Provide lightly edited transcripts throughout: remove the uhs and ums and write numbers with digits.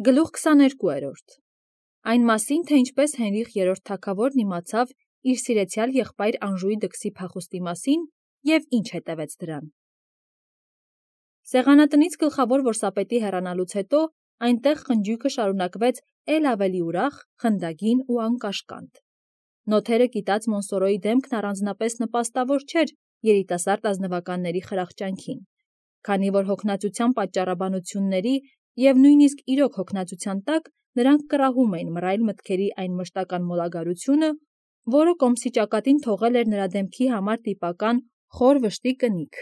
Գլուխ 22 Այն մասին, թե ինչպես Հենրիխ III թագավորն իմացավ իր սիրեցյալ եղբայր Անժուի դքսի փախուստի մասին և ինչ հետևեց դրան։ Սեղանատնից գլխավոր որսապետի հեռանալուց հետո այնտեղ խնջույքը շարունակվեց էլ ավելի ուրախ, խնդագին ու անկաշկանդ։ Նոթերը կիտած Մոնսորոյի դեմքն առանձնապես նպաստավոր չէր երիտասարդ ազնվականների խրախճանքին, քանի որ հոգնածության պատճառաբանությունների և նույնիսկ իրոք հոգնածության տակ նրանք կռահում էին մռայլ մտքերի այն մշտական մոլագարությունը, որը կոմսի ճակատին թողել էր նրա դեմքի համար տիպական խոր վշտի կնիք։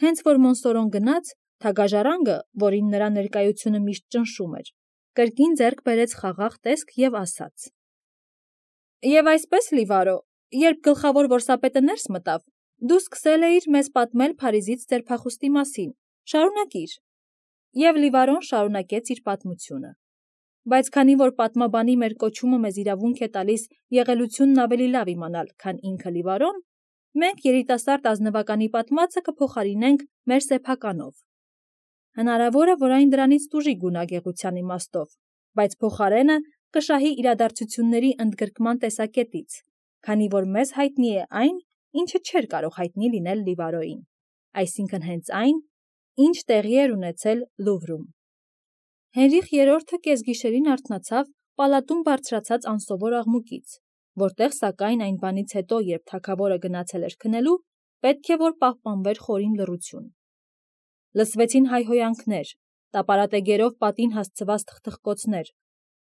Հենց որ Մոնսորոն գնաց, թագաժառանգը, որին նրա ներկայությունը միշտ ճնշում էր, կրկին ձեռք բերեց խաղաղ տեսք և ասաց. «Եվ այսպես, Լիվարո, երբ գլխավոր որսապետը ներս մտավ, դու սկսել էիր մեզ պատմել Փարիզից ձեր փախուստի մասին, շարունակիր»։ Եվ Լիվարոն շարունակեց իր պատմությունը։ Բայց քանի որ պատմաբանի մեր կոչումը մեզ իրավունք է տալիս եղելությունն ավելի լավ իմանալ, քան ինքը Լիվարոն, մենք երիտասարդ ազնվականի պատմածը կփոխարինենք մեր սեփականով։ Հնարավոր է, որ այն դրանից տուժի գունագեղության իմաստով, բայց փոխարենը կշահի իրադարձությունների ընդգրկման տեսակետից, քանի որ մեզ հայտնի է այն, ինչը չէր կարող հայտնի լինել Լիվարոյին, այսինքն հենց այն, ինչ տեղի էր ունեցել Լուվրում։ Հենրիխ III կեսգիշերին արթնացավ պալատում բարձրացած անսովոր աղմուկից, որտեղ սակայն այն բանից հետո, երբ թագավորը գնացել էր քնելու, պետք է որ պահպանվեր խորին լռություն։ Լսվեցին հայհոյանքներ, տապարատեգերով պատին հասցված թխթխկոցներ,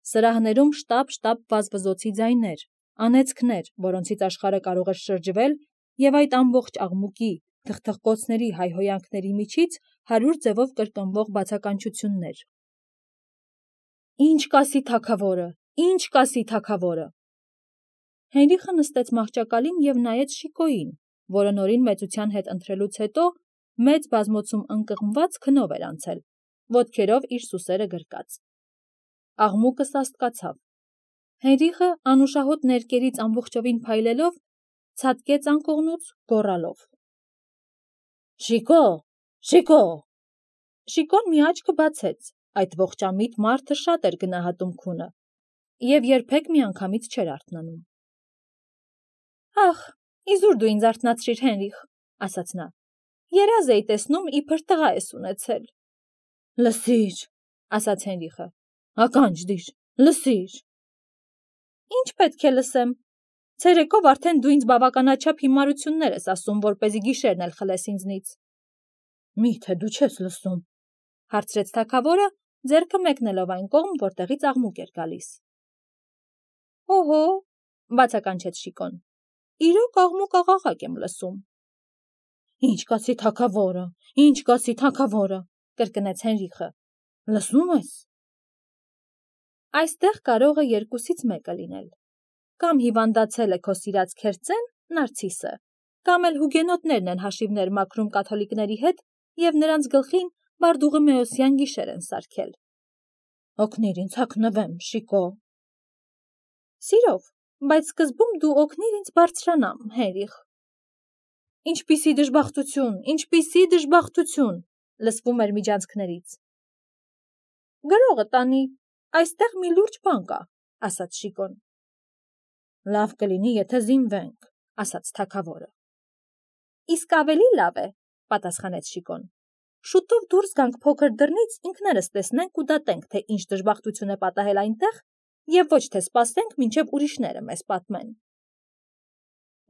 սրահներում շտապ-շտապ վազվզոցի ձայներ, անեծքներ, որոնցից աշխարհը կարող էր շրջվել, և այդ ամբողջ աղմուկի, թխթխկոցների, հայհոյանքների միջից 100 ձևով կրկնվող բացականչություններ. «Ինչ կասի թագավորը, ինչ կասի թագավորը»։ Հենրիխը նստեց մահճակալին և նայեց Շիկոյին, որը նորին մեծության հետ ընթրելուց հետո մեծ բազմոցում ընկղմված քնով էր անցել, ոտքերով իր սուսերը գրկած։ Աղմուկը սաստկացավ։ Հենրիխը անուշահոտ ներկերից ամբողջովին փայլելով, ցատկեց անկողնուց, գոռալով. «Շիկո, Շիկո»։ Շիկոն մի աչքը բացեց, այդ ողջամիտ մարդը շատ էր գնահատում քունը և երբեք միանգամից չէր արթնանում։ «Ախ, իզուր դու ինձ արթնացրիր, Հենրիխ», ասաց նա, «երազ էի տեսնում, իբր տղա ես ունեցել»։ «Լսիր», ասաց Հենրիխը, «ականջ դիր, լսիր»։ «Ինչ պետք է լսեմ։ Ցերեկով արդեն դու ինձ բավականաչափ հիմարություններ ես ասում, որպեսզի գիշերն էլ խլես ինձնից»։ «Մի՞թե դու չես լսում», հարցրեց թագավորը, ձեռքը մեկնելով այն կողմ, որտեղից աղմուկ էր գալիս։ «Օհո», բացականչեց Շիկոն, «իրոք աղմուկ-աղաղակ եմ լսում»։ «Ինչ կասի թագավորը, ինչ կասի թագավորը», կրկնեց Հենրիխը, «լսում ես»։ Այստեղ կարող է երկուսից մեկը լինել. կամ հիվանդացել է քո սիրած քերծեն, Նարցիսը, կամ էլ հուգենոտներն են հաշիվներ մաքրում կաթոլիկների հետ և նրանց գլխին բարդուղիմեոսյան գիշեր են սարքել։ «Օգնիր ինձ հագնվեմ, Շիկո»։ «Սիրով, բայց սկզբում դու օգնիր ինձ բարձրանամ, Հենրիխ»։ «Ինչպիսի դժբախտություն, ինչպիսի դժբախտություն», լսվում էր միջանցքներից։ «Գրողը տանի, այստեղ մի լուրջ բան կա», ասաց Շիկոն։ «Լավ կլինի, եթե զինվենք», ասաց թագավորը։ «Իսկ ավելի լավ է», պատասխանեց Շիկոն։ «Շուտով դուրս գանք փոքր դռնից, ինքներս տեսնենք ու դատենք, թե ինչ դժբախտություն է պատահել այնտեղ, և ոչ թե սպասենք, մինչև ուրիշները մեզ պատմեն»։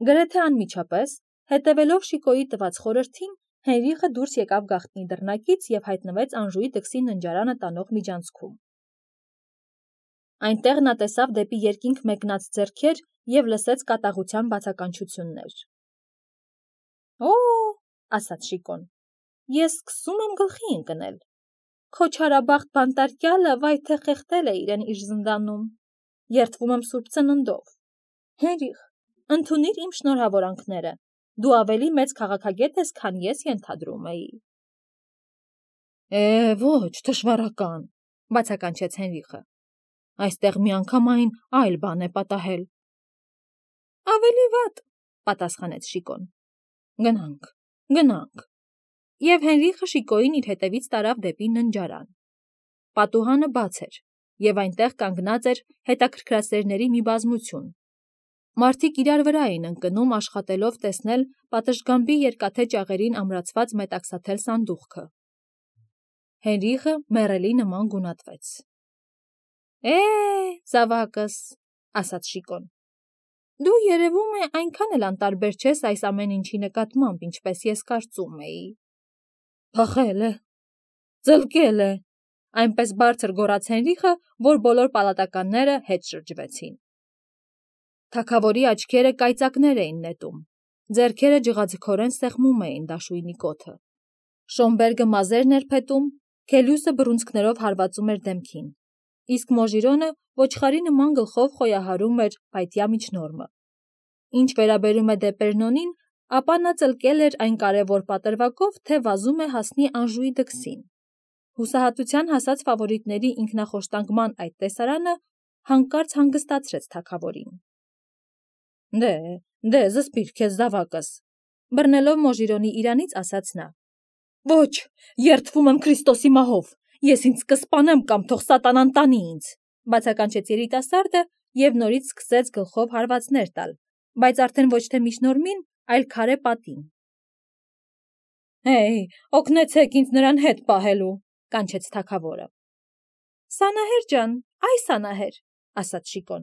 Գրեթե անմիջապես, հետևելով Շիկոյի տված խորհրդին, Հենրիխը դուրս եկավ գաղտնի դռնակից և հայտնվեց Անժուի դքսի ննջարանը տանող միջանցքում։ Այնտեղ նա տեսավ դեպի երկինք մեկնած ձեռքեր և լսեց կատաղության բացականչություններ։ «Օ՜», ասաց Շիկոն, «ես սկսում եմ գլխի ընկնել։ Քո չարաբախտ բանտարկյալը վայ թե խեղդել է իրեն իր զնդանում։ Երդվում եմ Սուրբ Ծննդով։ Հենրիխ, ընդունիր իմ շնորհավորանքները, դու ավելի մեծ քաղաքագետ ես, քան ես ենթադրում էի»։ Ոչ, թշվառական, բացականչեց Հենրիխը, այստեղ միանգամայն այլ բան է պատահել։ Ավելի վատ, պատասխանեց Շիկոն։ Գնանք, գնանք։ Եվ Հենրիխը Շիկոյին իր հետևից տարավ դեպի ննջարան։ Պատուհանը բաց էր, և այնտեղ կանգնած էր հետաքրքրասերների մի բազմություն։ Մարդիկ իրար վրա էին ընկնում աշխատելով տեսնել պատշգամբի երկաթե ճաղերին ամրացված մետաքսաթել սանդուղքը։ Հենրիխը մեռելի նման գունատվեց։ Զավակս, ասաց Շիկոն, դու երևում է այնքան էլ անտարբեր չես այս ամեն ինչի նկատմամբ, ինչպես ես կարծում էի։ Փախել է, ծլկել է, այնպես բարձր գոռաց Հենրիխը, որ բոլոր պալատականները հետ շրջվեցին։ Թագավորի աչքերը կայծակներ էին նետում, ձեռքերը ջղաձգորեն սեղմում էին դաշույնի կոթը։ Շոմբերգը մազերն էր փետում, Քելյուսը բռունցքներով հարվածում էր դեմքին, իսկ Մոժիրոնը ոչխարի նման գլխով խոյահարում էր փայտյա միջնորմը։ Ինչ վերաբերում է Դեպերնոնին, ապա նա ծլկել էր այն կարևոր պատրվակով, թե վազում է հասնի Անժուի դքսին։ Հուսահատության հասած ֆավորիտների ինքնախոշտանգման այդ տեսարանը հանկարծ հանգստացրեց թագավորին։ Դե, զսպիր քեզ զավակս, բռնելով Մոժիրոնի իրանից ասաց նա։ Ոչ, երդվում եմ Քրիստոսի մահով, ես ինձ կսպանեմ կամ թող սատանան տանի ինձ, բացականչեց երիտասարդը և նորից սկսեց գլխով հարվածներ տալ, բայց արդեն ոչ թե միջնորմին, այլ քարե պատին։ Օգնեցեք ինձ նրան հետ պահելու, կանչեց թագավորը։ Սանահեր ջան, այ Սանահեր, ասաց Շիկոն,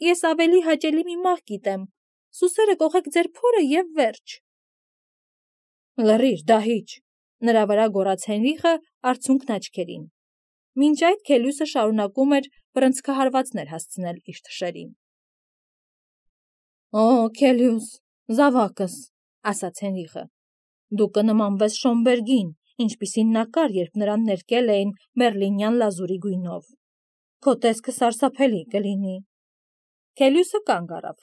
ես ավելի հաճելի մի մահ գիտեմ, սուսերը կողեք ձեր փորը և վերջ։ Լռիր, դահիճ, նրա վրա գոռաց Հենրիխը արցունքն աչքերին։ Մինչ այդ Քելյուսը շարունակում էր բռնցքահարվածներ հասցնել իր թշերին։ Քելյուս, զավակս, ասաց Հենրիխը, դու կնմանվես Շոմբերգին, ինչպիսին նա կար, երբ նրան ներկել էին մերլինյան լազուրի գույնով։ Քո տեսքը սարսափելի կլինի։ Քելյուսը կանգ առավ։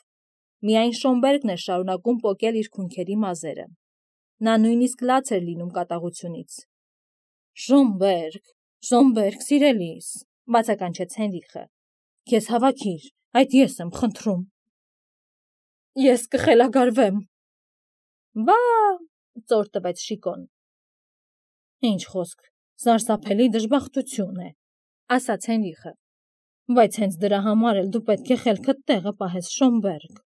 Միայն Շոմբերգն էր շարունակում պոկել իր քունքերի մազերը։ Նա նույնիսկ լաց էր լինում կատաղությունից։ Շոմբերգ, սիրելիս, բացականչեց Հենրիխը, քեզ հավաքիր, այդ ես եմ խնդրում։ Ես կխելագարվեմ։ Բա, ծոր տվեց Շիկոն։ Ինչ խոսք, սարսափելի դժբախտություն է, ասաց Հենրիխը, բայց հենց դրա համար էլ դու պետք է խելքդ տեղը պահես, Շոմբերգ։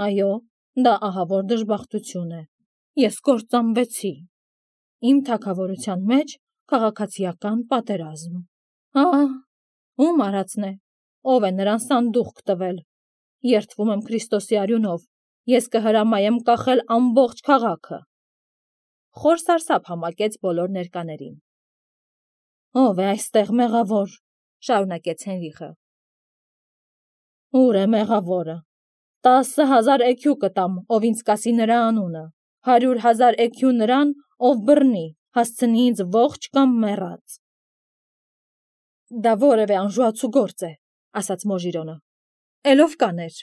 Այո, դա ահավոր դժբախտություն է։ Ես կործանվեցի։ Իմ թագավորության մեջ քաղաքացիական պատերազմ։ Ում արածն է, ով է նրան սանդուղք տվել։ Երդվում եմ Քրիստոսի արյունով, ես կհրամայեմ կախել ամբողջ քաղաքը։ Խոր սարսափ համակեց բոլոր ներկաներին։ Ով է այստեղ մեղավոր, շարունակեց Հենրիխը։ Ուր է մեղավորը։ 10,000 էքյու կտամ, ով ինձ կասի նրա անունը, 100,000 էքյու նրան, ով բռնի, հասցնի ինձ ողջ կամ մեռած։ Դա որևէ անժուացու գործ է, ասաց Մոժիրոնը։ Էլով կաներ։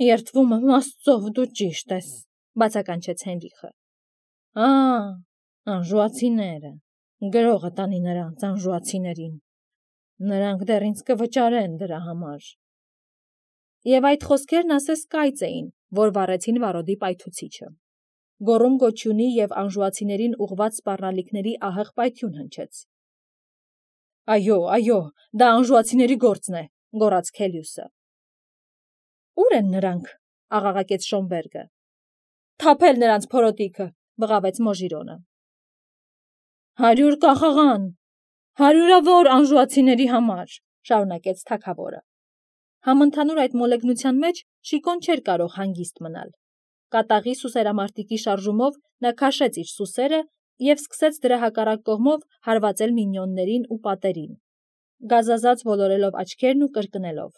Երդվում եմ Աստծով, դու ճիշտ ես, բացականչեց Հենրիխը։ Անժուացիները, գրողը տանի նրանց անժուացիներին։ Նրանք դեռ ինձ կվճարեն դրա համար։ Եվ այդ խոսքերն ասես կայծ էին, որ վառեցին վարոդի պայթուցիչը։ Գոռում գոչյունի և անժուացիներին ուղված սպառնալիքների ահեղ պայթյուն հնչեց։ Այո, դա անժուացիների գործն է, գոռաց Քելյուսը։ Ուր են նրանք, աղաղակեց Շոմբերգը։ Թափել նրանց փորոտիքը, բղավեց Մոժիրոնը։ 100 կախաղան, 100-ավոր անժուացիների համար, շարունակեց թագավորը։ Համընդհանուր այդ մոլեգնության մեջ Շիկոն չէր կարող հանգիստ մնալ։ Կատաղի սուսերամարտիկի շարժումով նա քաշեց իր սուսերը և սկսեց դրա հակառակ կողմով հարվածել մինյոններին ու պատերին, գազազած ոլորելով աչքերն ու կրկնելով.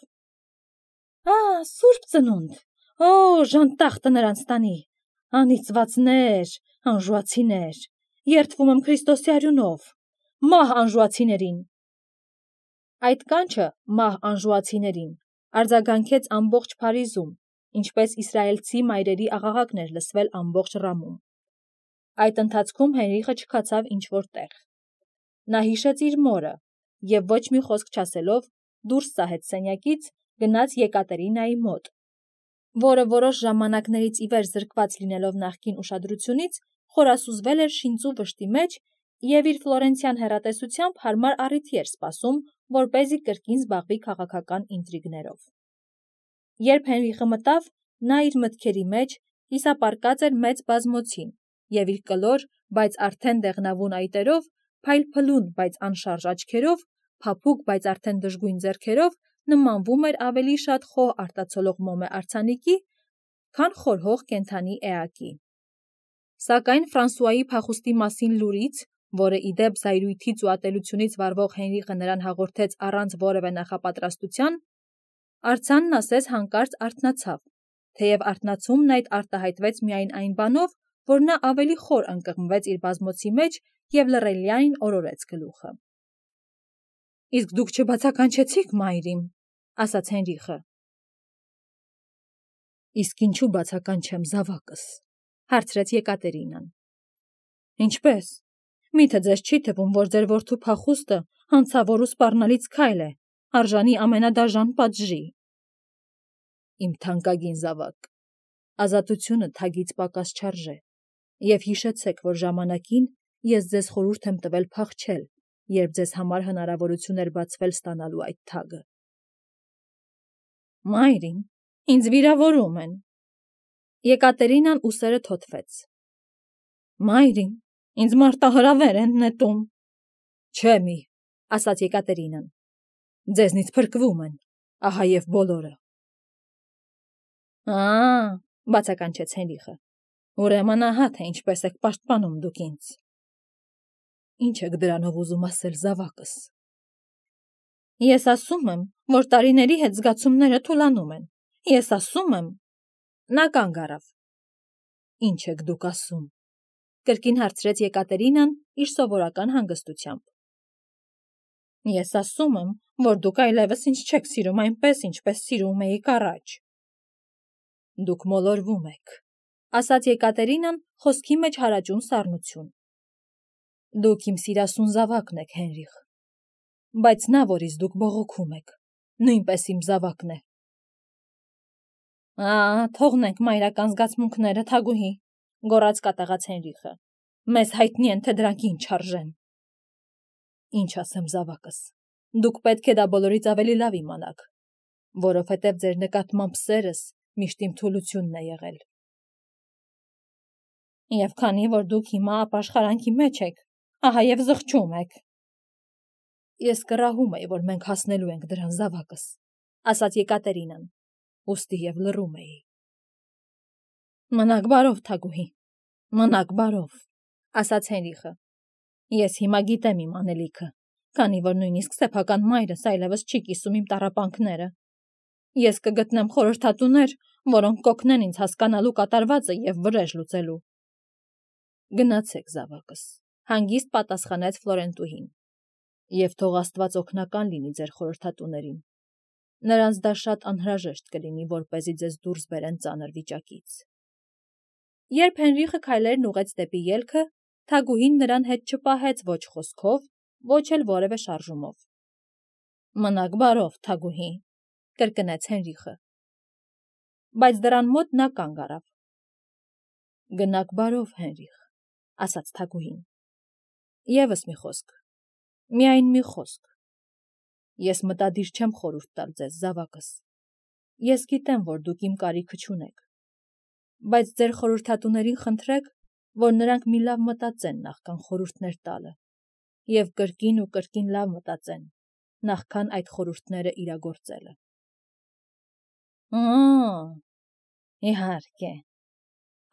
Սուրբ ծնունդ, ժանտախտը նրանց տանի, անիծվածներ, անժուացիներ, երդվում եմ Քրիստոսի արյունով, մահ անժուացիներին։ Այդ կանչը մահ անժուացիներին արձագանքեց ամբողջ Փարիզում, ինչպես իսրայելցի մայրերի աղաղակն էր լսվել ամբողջ Ռամում։ Այդ ընթացքում Հենրիխը չքացավ ինչ-որ տեղ։ Նա հիշեց իր մորը և ոչ մի խոսք չասելով դուրս ծահեց սենյակից, գնաց Եկատերինայի մոտ, որը որոշ ժամանակներից ի վեր զրկված լինելով նախկին ուշադրությունից, խորասուզվել էր շինծու վշտի մեջ և իր ֆլորենցյան հեռատեսությամբ հարմար առիթի էր սպասում, որպեսզի կրկին զբաղվի քաղաքական ինտրիգներով։ Երբ Հենրիխը մտավ, նա իր մտքերի մեջ կիսապարկած էր մեծ բազմոցին և իր կլոր, բայց արդեն դեղնավուն այտերով, փայլփլուն, բայց անշարժ աչքերով, փափուկ, բայց արդեն դժգույն ձեռքերով նմանվում էր ավելի շատ խոհ արտացոլող մոմե արձանիկի, քան խորհող կենդանի էակի։ Սակայն Ֆրանսուայի փախուստի մասին լուրից, որը ի դեպ զայրույթից ու ատելությունից վարվող Հենրիխը նրան հաղորդեց առանց որևէ նախապատրաստության, արձանն ասես հանկարծ արթնացավ, թեև արթնացումն այդ արտահայտվեց միայն այն բանով, որ նա ավելի խոր ընկղմվեց իր բազմոցի մեջ և լռելիայն օրորեց գլուխը։ «Իսկ դուք չբացականչեցիք մայրիմ», ասաց Հենրիխը։ «Իսկ ինչու բացականչեմ, զավակս», հարցրեց Եկատերինան։ «Ինչպե՞ս։ Միթե ձեզ չի թվում, որ ձեր որդու փախուստը հանցավոր ու սպառնալից քայլ է, արժանի ամենադաժան պատժի։ Իմ թանկագին զավակ, ազատությունը թագից պակաս չարժե, և հիշեցեք, որ ժամանակին ես ձեզ խորհուրդ եմ տվել փախչել, երբ ձեզ համար հնարավորություն էր բացվել ստանալու այդ թագը»։ «Մայրին, ինձ վիրավորում են»։ Եկատերինան ուսերը թոթվեց։ «Մայրին, ինձ մարտահրավեր են նետում»։ «Չէ մի», ասաց Եկատերինան, «ձեզնից փրկվում են, ահա և բոլորը»։ Բացականչեց Հենրիխը, ուրեմն ահա թե ինչպես եք պաշտպանում դուք ինձ։ Ինչ եք դրանով ուզում ասել, զավակս։ Ես ասում եմ, որ տարիների հետ զգացումները թուլանում են։ Ես ասում եմ… Նա կանգ առավ։ Ինչ եք դուք ասում, կրկին հարցրեց Եկատերինան իր սովորական հանգստությամբ։ Ես ասում եմ, որ դուք այլևս ինձ չեք սիրում այնպես, ինչպես սիրում էիք առաջ։ Դուք մոլորվում եք, ասաց Եկատերինան խոսքի մեջ հարաճուն սառնություն։ Դուք իմ սիրասուն զավակն եք, Հենրիխ, բայց նա, որից դուք բողոքում եք, նույնպես իմ զավակն է։ Թողնենք մայրական զգացմունքները, Թագուհի, գոռաց կատաղած Հենրիխը։ Մեզ հայտնի են, թե դրանք ինչ արժեն։ Ինչ ասեմ, զավակս, դուք պետք է դա բոլորից ավելի լավ իմանաք, որովհետև ձեր նկատմամբ սերս միշտ իմ թուլությունն է եղել։ Եվ քանի որ դուք հիմա ապաշխարանքի մեջ եք, ահա և զղջում եք։ Ես կռահում էի, որ մենք հասնելու ենք դրան, զավակս, ասաց Եկատերինան, ուստի և լռում էի։ Մնաք բարով, Թագուհի, մնաք բարով, ասաց Հենրիխը։ Ես հիմա գիտեմ իմ անելիքը, քանի որ նույնիսկ սեփական մայրս այլևս չի կիսում իմ տառապանքները։ Ես կգտնեմ խորհրդատուներ, որոնք կօգնեն ինձ հասկանալու կատարվածը և վրեժ լուծելու։ Գնացեք, զավակս, հանգիստ պատասխանեց Ֆլորենտուհին, և թող Աստված օգնական լինի ձեր խորհրդատուներին։ Նրանց դա շատ անհրաժեշտ կլինի, որպեսզի ձեզ դուրս բերեն ծանր վիճակից։ Երբ Հենրիխը քայլերն ուղղեց դեպի ելքը, Թագուհին նրան հետ չպահեց ոչ խոսքով, ոչ էլ որևէ շարժումով։ Մնաք բարով, Թագուհի, կրկնեց Հենրիխը։ Բայց դռան մոտ նա կանգ առավ։ Գնաք բարով, Հենրիխ, ասաց Թագուհին։ Եվս մի խոսք, միայն մի խոսք։ Ես մտադիր չեմ խորհուրդ տալ ձեզ, զավակս։ Ես գիտեմ, որ դուք իմ կարիքը չունեք, բայց ձեր խորհրդատուներին խնդրեք, որ նրանք մի լավ մտածեն նախքան խորհուրդներ տալը, և կրկին ու կրկին լավ մտածեն, նախքան այդ խորհուրդները իրագործելը։ Իհարկե,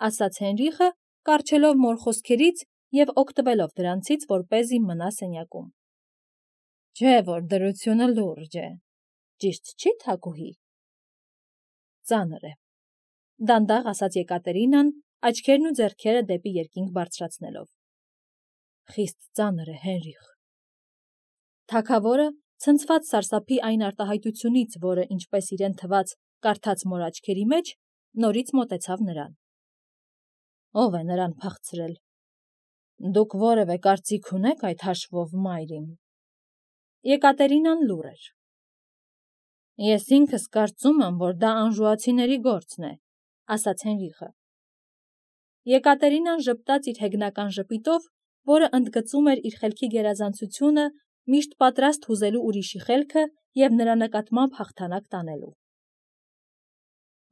ասաց Հենրիխը, կառչելով մոր խոսքերից և օգտվելով դրանցից, որպեսզի մնա սենյակում։ Չէ, որ դրությունը լուրջ է, ճիշտ չի, Թագուհի։ Ծանր է, դանդաղ ասաց Եկատերինան, աչքերն ու ձեռքերը դեպի երկինք բարձրացնելով։ Խիստ ծանր է, Հենրիխ։ Թագավորը, ցնցված սարսափի այն արտահայտությունից, որը, ինչպես իրեն թվաց, կարդաց մոր աչքերի մեջ, նորից մոտեցավ նրան։ Ո՞վ է նրան փախցրել։ Դուք որևէ կարծիք ունեք այդ հաշվով, մայրին։ Եկատերինան լուռ էր։ Ես ինքս կարծում եմ, որ դա անժուացիների գործն է, ասաց Հենրիխը։ Եկատերինան ժպտաց իր հեգնական ժպիտով, որը ընդգծում էր իր խելքի գերազանցությունը, միշտ պատրաստ հուզելու ուրիշի խելքը և նրա նկատմամբ հաղթանակ տանելու։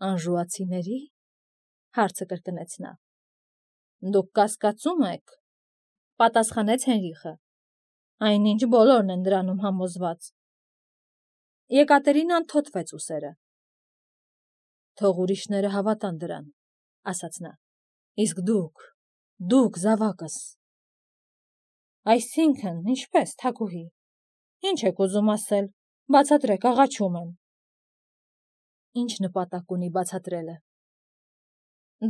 «Անժուացիների՞», հարցը կրկնեց նա։ «Դուք կասկածում եք», պատասխանեց Հենրիխը։ «Այնինչ բոլորն են դրանում համոզված»։ Եկատերինան թոթվեց ուսերը։ «Թող ուրիշները հավատան դրան», ասաց նա։ «Իսկ դուք զավակս»։ «Այսինքն, ինչպես, թագուհի, ինչ եք ուզում ասել, բացատրեք, աղաչում եմ»։ «Ինչ նպատակ ունի բացատրելը»։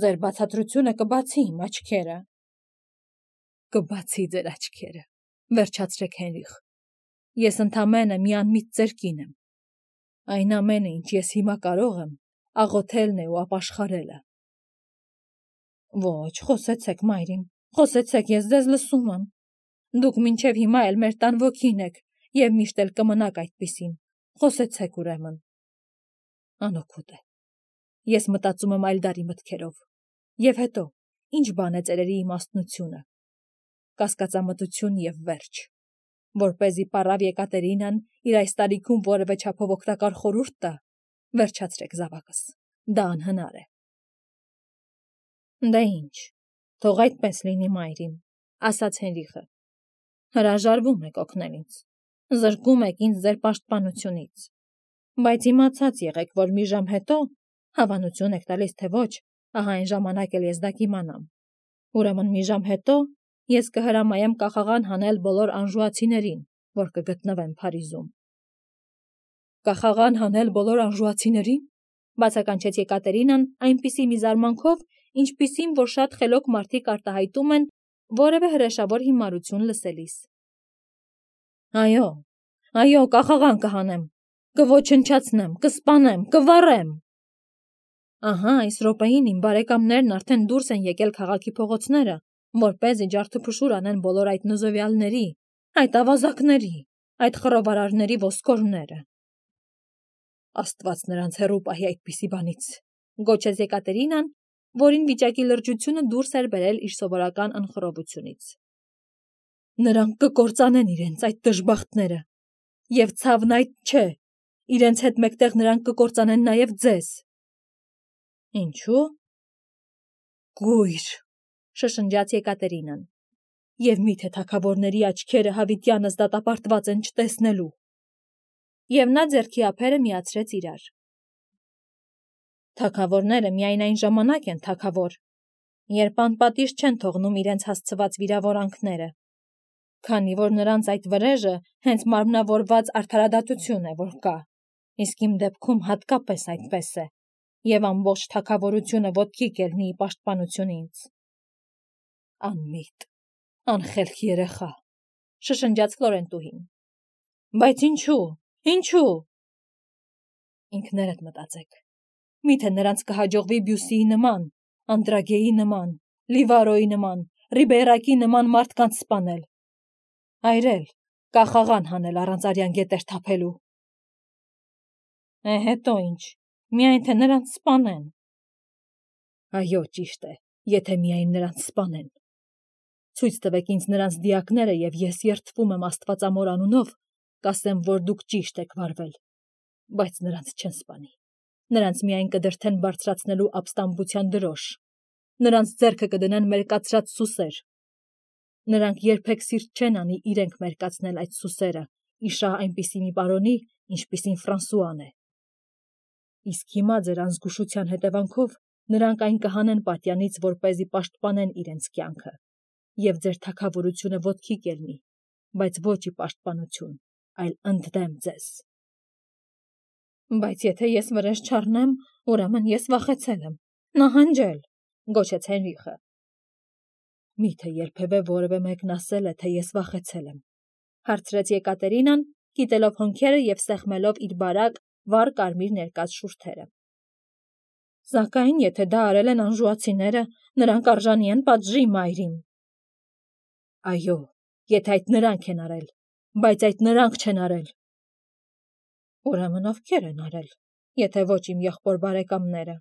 «Ձեր բացատրությունը կբացի իմ աչքերը»։ «Կբացի ձեր աչքերը», վերջացրեք Հենրիխ։ «Ես ընդամենը մի անմիտ ձեր կին եմ։ Այն ամենը, ինչ ես հիմա կարող եմ, աղոթելն է ու ապաշխարելը»։ «Ոչ, խոսեցեք, մայրիմ, խոսեցեք, ես ձեզ լսում եմ։ Դուք մինչև հիմա էլ մեր տան ոգին եք և միշտ էլ կմնաք այդպիսին, խոսեցեք ուրեմն»։ Անօգուտ է։ Ես մտածում եմ այլ դարի մտքերով։ Եվ հետո, ինչ բան է ծերերի իմաստնությունը։ Կասկածամտություն և վերջ։ Որպեսզի պառավ Եկատերինան իր այս տարիքում որևէ չափով օգտակար խորհուրդ տա, վերջացրեք զավակս, դա անհնար է։ Դե ինչ, թող այդպես լինի, մայրիմ, ասաց Հենրիխը։ Հրաժարվում եք օգնել ինձ, զրկում եք ինձ ձեր պաշտպանությունից, բայց իմացած եղեք, որ մի ժամ հետո, հավանություն եք տալիս թե ոչ, ահա այն ժամանակ էլ ես դա կիմանամ։ Ուրեմն մի ժամ հետո ես կհրամայեմ կախաղան հանել բոլոր անժուացիներին, որ կգտնվեն Փարիզում։ Կախաղան հանել բոլոր անժուացիներին, բացականչեց Եկատերինան այնպիսի մի զարմանքով, ինչպիսին, որ շատ խելոք մարդիկ արտահայտում են որևէ հրեշավոր հիմարություն լսելիս։ Այո, կախաղան կհանեմ, կոչնչացնեմ, կսպանեմ, կվառեմ։ Ահա այս րոպեին իմ բարեկամներն արդեն դուրս են եկել քաղաքի փողոցները, որպեսզի ջարդուփշուր անեն բոլոր այդ նզովյալների, այդ ավազակների, այդ խռովարարների ոսկորները։ Աստված նրանց հեռու պահի այդպիսի բանից, գոչեց Եկատերինան, որին վիճակի լրջությունը դուրս էր բերել իր սովորական անխռովությունից։ Նրանք կկործանեն իրենց այդ դժբախտները, և ցավն այդ չէ, իրենց հետ մեկտեղ նրանք կկործանեն նաև ձեզ։ Ինչու՞։ Գույր, շշնջաց Եկատերինան, և միթե թագավորների աչքերը հավիտյանս դատապարտված են չտեսնելու։ Եվ նա ձեռքի ափերը միացրեց իրար։ Թագավորները միայն այն ժամանակ են թագավոր, երբ անպատիժ չեն թողնում իրենց հասցված վիրավորանքները, քանի որ նրանց այդ վրեժը հենց մարմնավորված արդարադատություն է, որ կա, իսկ իմ դեպքում հատկապես այդպես է, և ամբողջ թագավորությունը ոտքի կելնի ի պաշտպանություն ինձ։ Անմիտ, անխելք երեխա, շշնջաց Ֆլորենտուհին։ Բայց ինչու։ Ինքներդ մտածեք, միթե նրանց կհաջողվի Բյուսիի նման, Անդրագեի նման, Լիվարոյի նման, Ռիբեյրակի նման մարդկանց սպանել, այրել, կախաղան հանել առանց արյան գետեր թափելու։ Հետո ինչ, միայն թե նրանց սպանեն։ Այո, ճիշտ է, եթե միայն նրանց սպանեն։ Ցույց տվեք ինձ նրանց դիակները, և ես երդվում եմ Աստվածամոր անունով, կասեմ, որ դուք ճիշտ եք վարվել, բայց նրանց չեն սպանի։ Նրանց միայն կդրդեն բարձրացնելու ապստամբության դրոշ, նրանց ձեռքը կդնեն մերկացրած սուսեր։ Նրանք երբեք սիրտ չեն անի իրենք մերկացնել այդ սուսերը, իշահ այնպիսի մի պարոնի, ինչպիսին Ֆրանսուան է։ Իսկ հիմա ձեր անզգուշության հետևանքով նրանք այն կհանեն պատյանից, որպեսզի պաշտպանեն իրենց կյանքը, և ձեր թագավորությունը ոտքի կելնի, բայց ոչ ի պաշտպանություն, այլ ընդդեմ ձեզ։ Բայց եթե ես վրեժ չառնեմ, ուրեմն ես վախեցել եմ, նահանջել, գոչեց Հենրիխը։ Միթե երբևէ որևէ մեկն ասել է, թե ես վախեցել եմ, հարցրեց Եկատերինան, կիտելով հոնքերը և սեղմելով իր բարակ, վառ կարմիր ներկած շուրթերը։ Սակայն եթե դա արել են անժուացիները, նրանք արժանի են պատժի, մայրիմ։ Այո, եթե այդ նրանք են արել, բայց այդ նրանք չեն արել։ Ուրեմն ովքեր են արել, եթե ոչ իմ եղբոր բարեկամները։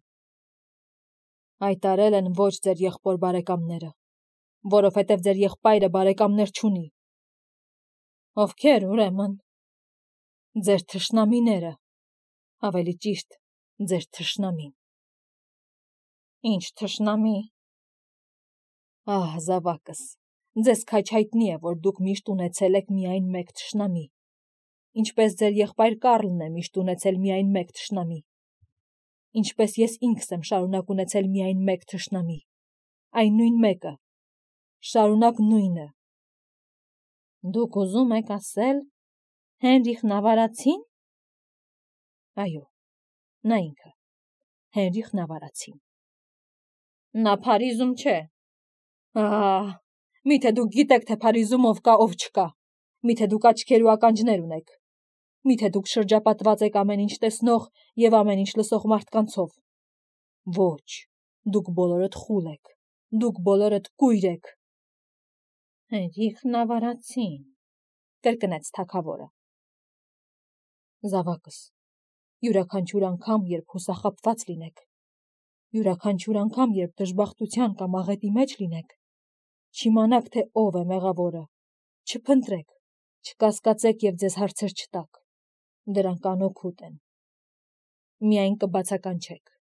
Այդ արել են ոչ ձեր եղբոր բարեկամները, որովհետև ձեր եղբայրը բարեկամներ չունի։ Ովքեր, ուրեմն։ Ձեր թշնամիները, ավելի ճիշտ, ձեր թշնամին։ Ինչ թշնամի։ Ահ, զավակս, ձեզ քաջ հայտնի է, որ դուք միշտ ունեցել եք միայն մեկ թշնամի, ինչպես ձեր եղբայր Կառլն է միշտ ունեցել միայն մեկ թշնամի, ինչպես ես ինքս եմ շարունակ ունեցել միայն մեկ թշնամի, այն նույն մեկը, շարունակ նույնը։ Դուք ուզում եք ասել Հենրիխն ավարացին։ Այո, նա ինքը, Հենրիխն ավարացին։ Նա Փարիզում չէ։ Ահ, միթե դուք գիտեք, թե Փարիզում ով կա, ով չկա։ Միթե դուք աչքեր ու ականջներ ունեք։ Միթե դուք շրջապատված եք ամեն ինչ տեսնող եւ ամեն ինչ լսող մարդկանցով։ Ոչ, դուք բոլորդ խուլ եք։ Դուք բոլորդ կույր եք։ Հենրիխն ավարացին, կրկնեց թագավորը։ Զավակս, յուրաքանչյուր անգամ, երբ հուսախաբված լինեք, յուրաքանչյուր անգամ, երբ դժբախտության կամ աղետի մեջ լինեք, չիմանաք, թե ով է մեղավորը, չփնտրեք, չկասկածեք եւ ձեզ հարցեր չտաք, դրանք անօգուտ են։ Միայն կբացականչեք,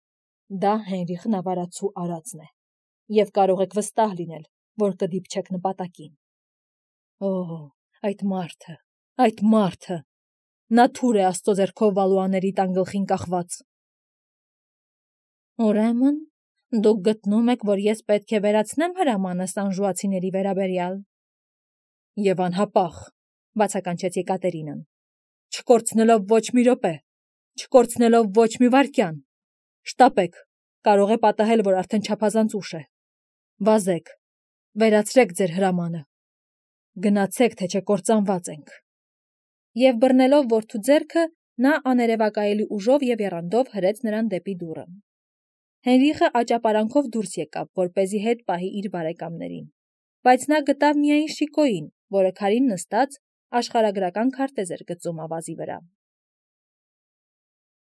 դա Հենրիխն ավարացու արածն է, եւ կարող եք վստահ լինել, որ կդիպչեք նպատակին։ Օ, այդ մարդը, նա թուր է Աստծո ձեռքով Վալուաների տան գլխին կախված։ Ուրեմն, դուք գտնում եք, որ ես պետք է վերացնեմ հրամանս անժուացիների վերաբերյալ։ Եվ անհապաղ, բացականչեց Եկատերինան, չկորցնելով ոչ մի րոպե, չկորցնելով ոչ մի վայրկյան։ Շտապեք, կարող է պատահել, որ արդեն չափազանց ուշ է։ Վազեք, վերացրեք ձեր հրամանը։ Գնացեք, թե չէ կործանված ենք։ Եվ բռնելով որդու ձեռքը, նա աներևակայելի ուժով եւ եռանդով հրեց նրան դեպի դուռը։ Հենրիխը աճապարանքով դուրս եկավ, որպեսզի հետ պահի իր բարեկամներին, բայց նա գտավ միայն Շիկոյին, որը քարին նստած աշխարհագրական քարտեզ էր գծում ավազի վրա։